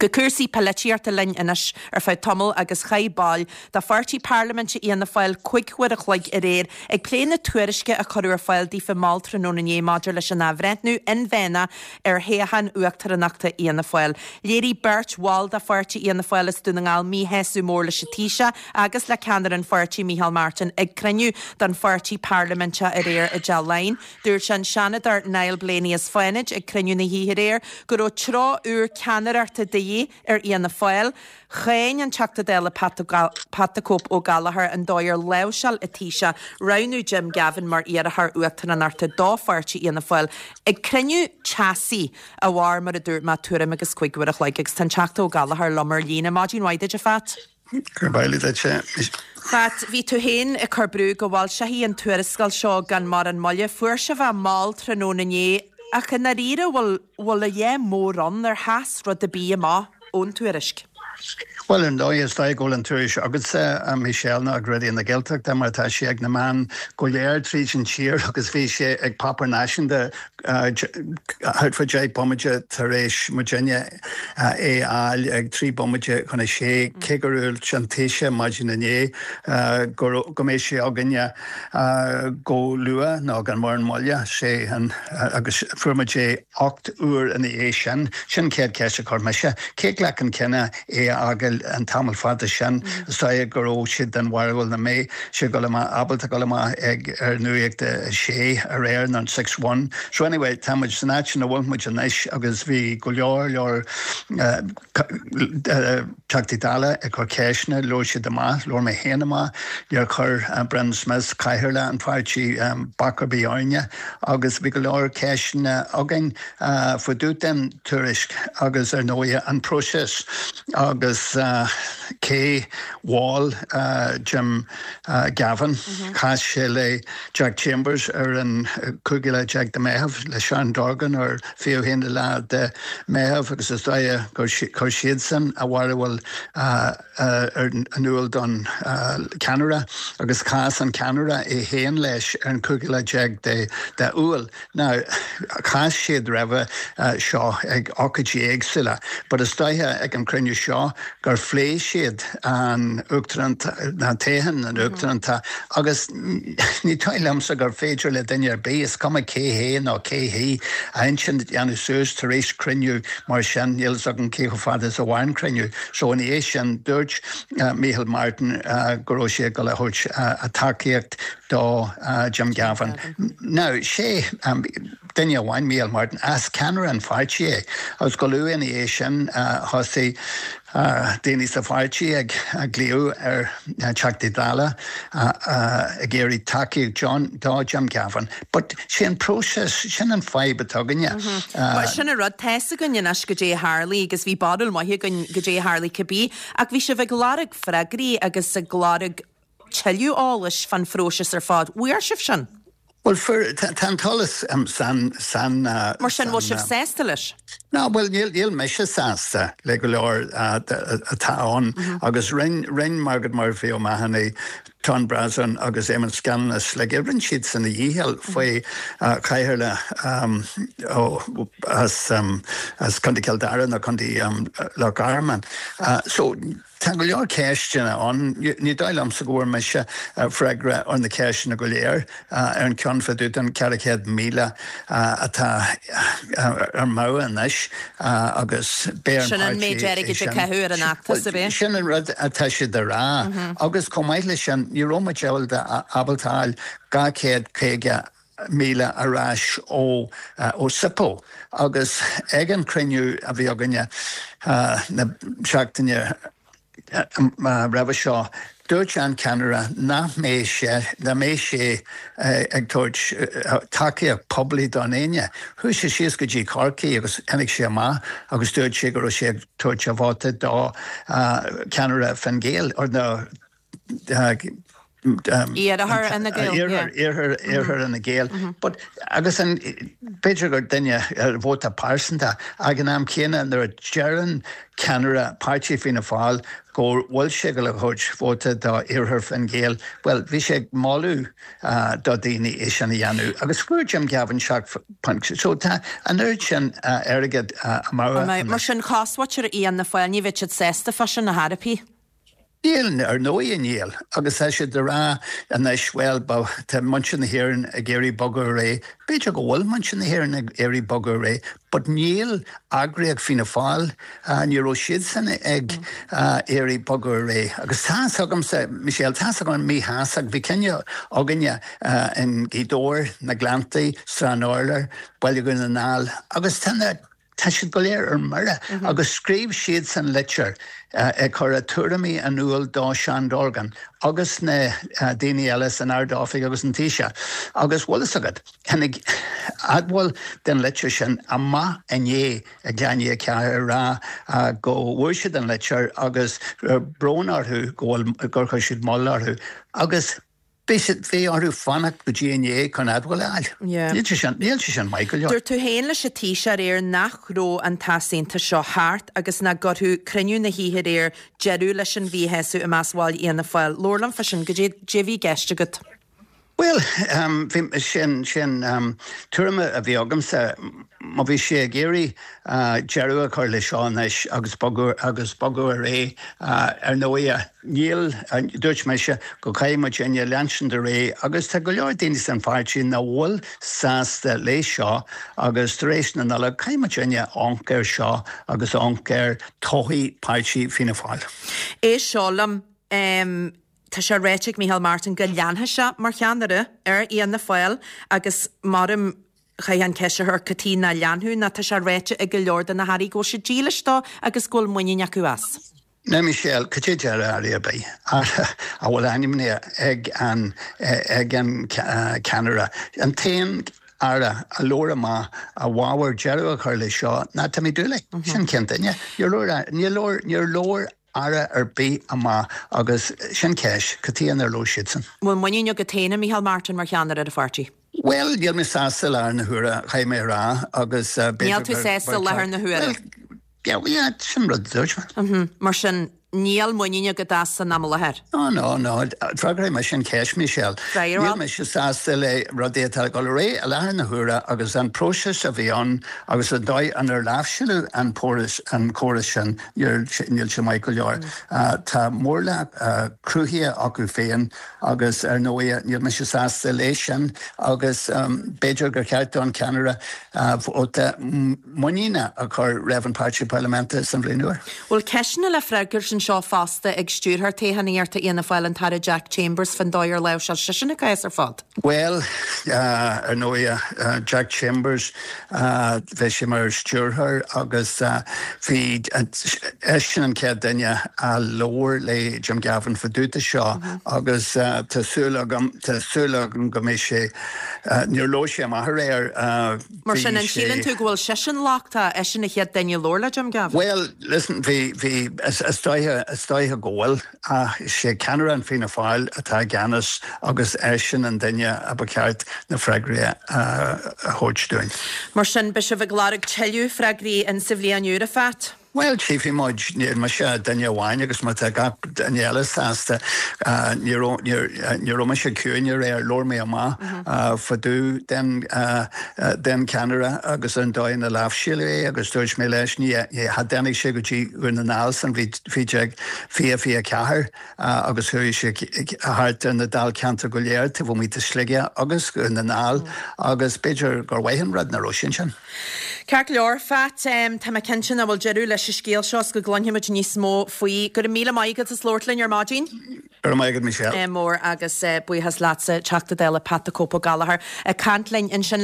Go cúrsaí poilitíochta linn anois ar feadh tamaill agus chaith baill de pháirtí parlaiminte Fhianna Fáil 5 huair a chloig aréir ag plé na tuairisce a cuireadh ar fáil daofa mall tráthnóna inné maidir leis an athbhreithniú inmheánach ar thoghchán uachtaránachta Fhianna Fáil. Léirigh beirt bhall de pháirtí Fhianna Fáil as Dún na nGall míshásamh mór leis an Taoiseach agus le ceannaire an pháirtí Micheál Martin ag cruinniú den pháirtí parlaiminteach aréir i dTeach Laighean. Dúirt an Seanadóir Niall Blaney as Fánaid ag cruinniú na hoíche aréir go raibh treo úr ceannaireachta de dhíth ar Fhianna Fáil. Cháin an Teachta Dála Pat the Cope Ó Gallchóir an dóigh ar láimhseáil an Taoiseach roghnú Jim Gavin mar iarrthóir uachtaránachta do pháirtí Fhianna Fáil ag cruinniú teasaí a mhair, mar a dúirt mé, tuairim agus 5 uair a chloig. Agus tá an Teachta Ó Gallchóir liom ar líne. Maidin mhaith duit, a Phat. Gurb amhlaidh duit. Phat, bhí tú féin ag cur brú go bhfoilseofaí an tuarascáil seo gan mórán moille. Fuair sibh é mall tráthnóna inné, ach i ndáiríre bhfuil, bhfuil a dhath mór ann, ar sheas rud ar bith amach ón tuairisc? Bhuel, ar ndóigh, is dóigh go bhfuil an tuairisc agatsa, a Michelle, nó ag Raidió na Gaeltachta, mar tá sé ag na meáin go léir tríd an tír agus bhí sé ag páipéar náisiúnta thart fá 10 bomaite tar éis muidinne é a fháil ag 3 bomaite chun a sé, cé gur dhúirt an Taoiseach maidin inné go go mbeidh sé againne go luath nó gan mórán moille, sé an agus fuair muid é 8 uair ina dhiaidh sin. Sin an chéad cheist a chuir mise. Cé a ghlac an cinneadh é a fhágáil an tamall fada sin? Is dóigh go raibh siad den bharúil nach mbeidh sé ag dul amach, ábalta dul amach ag ar Nuacht a Sé aréir nó an Six One. So anyway, tá muid san áit ina bhfuil muid anois agus bhí go leor leor Teachtaí Dála ag cur ceisteanna, labhair siad amach, labhair mé féin amach, níor chuir Brendan Smith, cathaoirleach an pháirtí, bac ar bith orainne agus bhí go leor ceisteanna againn faoi dtaobh den tuairisc agus ar ndóigh an próiseas agus cé mhol Jim Gavin. Chas sé le Jack Chambers ar an 15 lá de Meitheamh, le Sharon Dorgan ar 21 lá de Meitheamh agus is dóigh gur chuir siadsan a bharúil in iúl don cheannaire agus chas an ceannaire é féin leis ar an 15 lá de Iúil. Now, chas siad roimhe seo ag ócáidí éagsúla, but is dóiche ag an cruinniú seo gur phléigh siad an uachtarán, na toghchán an uachtaránachta agus ní dóigh liomsa gur féidir le duine ar bith, is cuma cé hé nó cé hí, a intinn a dhéanamh suas tar éis cruinniú mar sin, níl fhios agam cé chomh fada is a mhair an cruinniú. So ina dhiaidh sin, dúirt Micheál Martin go raibh sé ag dul a thabhairt a tacaíocht do Jim Gavin. Now, sé duine amháin, Micheál Martin, as ceannaire an pháirtí é, agus go luath ina dhiaidh sin thosaigh daoine sa pháirtí ag glaoch ar Theachtaí Dála ag iarraidh tacaíocht do Jim Gavin. But sé an próiseas, sin an fadhb atá againne. Bhuel, sin an rud, tá's againn anois goidé a tharlaigh agus bhí barúil maith againn goidé a tharlaigh cibé, ach bhí sibh ag lorg freagraí agus ag lorg tuilleadh eolais fán phróiseas ar fad. Bhfuair sibh sin? Bhuel, fuair, tá an t-eolas san, san. Mar sin, bhfuil sibh sásta leis? No, bhuel, níl, níl mise sásta le go leor atá ann agus rinn, rinn Margaret Murphy O'Mahony, Tom Brosnan agus Eamon Scanlon as Sligeach, rinn siadsan a dhícheall faoi chathaoirleach as, as Contae Chill Dara nó Contae Loch Garman. So, Tá go leor ceisteanna ann. Ní dóigh liomsa go bhfuair mise freagra ar na ceisteanna go léir ar an ceann fá dtaobh den 400,000 atá ar meadhon anois agus beidh ar an Sin an méid páirtí é airgid a sin. caitheadh ar an fheachtas, ab é? Sin an rud atá siad a rá agus chomh maith leis sin ní raibh muid ábalta ábalta a fháil 250,000 ar ais ó ó SIPO agus ag an cruinniú a bhí againne na seachtaine roimhe seo dúirt an ceannaire nach mbeidh sé nach mbeidh sé ag tabhairt tacaíocht poiblí don éinne. Chuaigh sé síos go dtí Corcaigh agus tháinig sé amach agus dúirt sé go raibh sé ag tabhairt a vóta do cheannaire Fine Gael or na. Iarthar Fhine Gael, yeah. Iarthar, iarthar Fhine Gael. But, agus an, b'fhéidir gur duine, vóta pearsanta, ag an am céanna nuair a deireann ceannaire páirtí Fianna Fáil go bhfuil sé ag dul a thabhairt vóta do iarthar Fine Gael, bhuel, bhí sé ag moladh do daoine é sin a dhéanamh agus fuair Jim Gavin 7. So tá an oiread sin airgead amú anois. Mar sin, cosmhuintir Fhianna Fáil, ní bheidh siad sásta fá sin ar chor ar bith. Níl, ar ndóigh níl. Agus tá siad ag rá anois, bhuel, tá muintir na hÉireann ag iarraidh bogadh ar aghaidh. B'fhéidir go bhfuil muintir na hÉireann ag iarraidh bogadh ar aghaidh, but níl eagraíocht Fianna Fáil, ní raibh siadsan ag iarraidh bogadh ar aghaidh. Agus tá fhios agamsa, Michelle, tá fhios agam míshástacht, bhí cinneadh againne in Gaoth Dobhair, na Gleanntaí, Srath an Urláir, Baile Dhún na nGall, agus tá na, Tá siad go léir ar mire agus scríobh siadsan litir ag cur a tuairimí in iúl do Seán Dorgan agus na daoine eile san Ard-Oifig agus an Taoiseach. Agus bhfuil fhios agat, tháinig admháil den litir sin amach inné ag leath i ndiaidh a 4 ag rá go bhfuair siad an litir agus brón orthu go bhfuil, gur chuir siad moill orthu. Agus. Bhí siad, bhí orthu fanacht go dtí inné chun admháil a fháil. Níl sé sin, níl sé sin maith go leor. Dúirt tú féin leis an Taoiseach aréir nach raibh an t-easaontas seo thart agus nach gcuirfeadh cruinniú na hoíche aréir deireadh leis an mhíshásamh i measc bhaill Fhianna Fáil. Labhair liom fá sin, goidé a bhí i gceist agat? Bhuel, bhí, sin, sin tuairim a bhí agamsa. Má bhí sé ag iarraidh deireadh a chur leis seo anois agus bogadh, agus bogadh ar aghaidh, ar ndóighe, Níl, dúirt mise go gcaithfidh muidinne leanstan ar aghaidh agus tá go leor daoine san pháirtí nach bhfuil sásta léi seo agus tar éis na Nollag caithfidh muidinne amharc air seo agus amharc ar todhchaí páirtí Fianna Fáil. Éist seo liom, tá sé ráite ag Micheál Martin go leanfaidh sé mar cheannaire ar Fhianna Fáil agus maram chaithfeá an ceist a chur cad chuige nach leanfadh nó tá sé ráite ag go leor de na hairí go bhfuil siad dílis dó agus go bhfuil muinín acu as. Now Michelle, cad é deir Aire ar bith, Aire a bhfuil ainmnithe ag an ag an ceannaire, an t-aon Aire a labhair amach i bhfabhar deireadh a chur leis seo ná Timmy Dooley. Sin cén duine. Níor labhair níor labhair níor labhair Aire ar bith amach agus sin ceist, cad chuige nár labhair siadsan? Bhfuil muinín agat féin i Micheál Martin mar cheannaire ar an pháirtí? Bhuel, níl mé sásta i láthair na huaire, caithfidh mé a rá, agus b'fhéidir Níl tú sásta i láthair na huaire? Bhuel, Yeah, yeah, sin rud a dúirt mé. Mar sin, níl muinín agat as san am i láthair? No, no, no. Freagróidh mise an cheist, Michelle. Freagair. Níl mise sásta le rudaí atá ag dul ar aghaidh i láthair na huaire agus an próiseas a bhí ann agus an dóigh inar láimhseáladh an póras, an córas sin, níl, níl sé maith go leor. Tá mórlach cruthaithe acu féin agus ar ndóigh níl mise sásta léi sin agus b'fhéidir gur cheart don cheannaire vóta muiníne a chur roimh an Páirtí Parlaiminte san bhliain úr. Bhfuil ceisteanna le freagairt anseo fosta ag Stiúrthóir Toghchánaíochta Fhianna Fáil, an tAire Jack Chambers, fán dóigh ar láimhseáil seisean an cás ar fad? Bhuel, ar ndóigh, Jack Chambers, bhí sé mar stiúrthóir agus bhí eisean an chéad duine a labhair le Jim Gavin fá dtaobh de seo agus tá súil agam, tá súil agam go mbeidh sé, níor labhair sé amach aréir, Mar sin, an síleann tú go bhfuil seisean lochtach, eisean an chéad duine a labhair le Jim Gavin? Bhuel, listen, bhí, bhí, is dóiche, is dóiche go bhfuil, ach is é ceannaire an Fianna Fáil atá i gceannas agus eisean an duine a ba cheart na freagraí a thabhairt dúinn. Mar sin, beidh sibh ag lorg tuilleadh freagraí in sa bhliain úr, a Phat? Bhuel, tchífidh muid. Níl mise duine amháin agus má tá gach duine eile sásta, ní raibh, ní raibh mise ciúin aréir, labhair mé amach fá dtaobh den, den cheannaire agus an dóigh ina láimhseáladh é agus dúirt mé leis, ní, cha dtáinig sé go dtí Dhún na nGall san bhliain 2024 agus chuaigh sé thart ar na dáilcheantair go léir taobh amuigh de Sligeach agus Dhún na nGall agus b'fhéidir gur mhaith an rud nach raibh sé ansin. Ceart go leor, Phat, tá mé cinnte nach bhfuil deireadh leis an scéal seo is go gcluinfidh muid níos mó faoi. Go raibh míle maith agat as labhairt linn ar maidin. Go raibh maith agat, Michelle. mór agus buíochas leatsa, Teachta Dála Pat the Cope Ó Gallchóir ag caint linn ansin.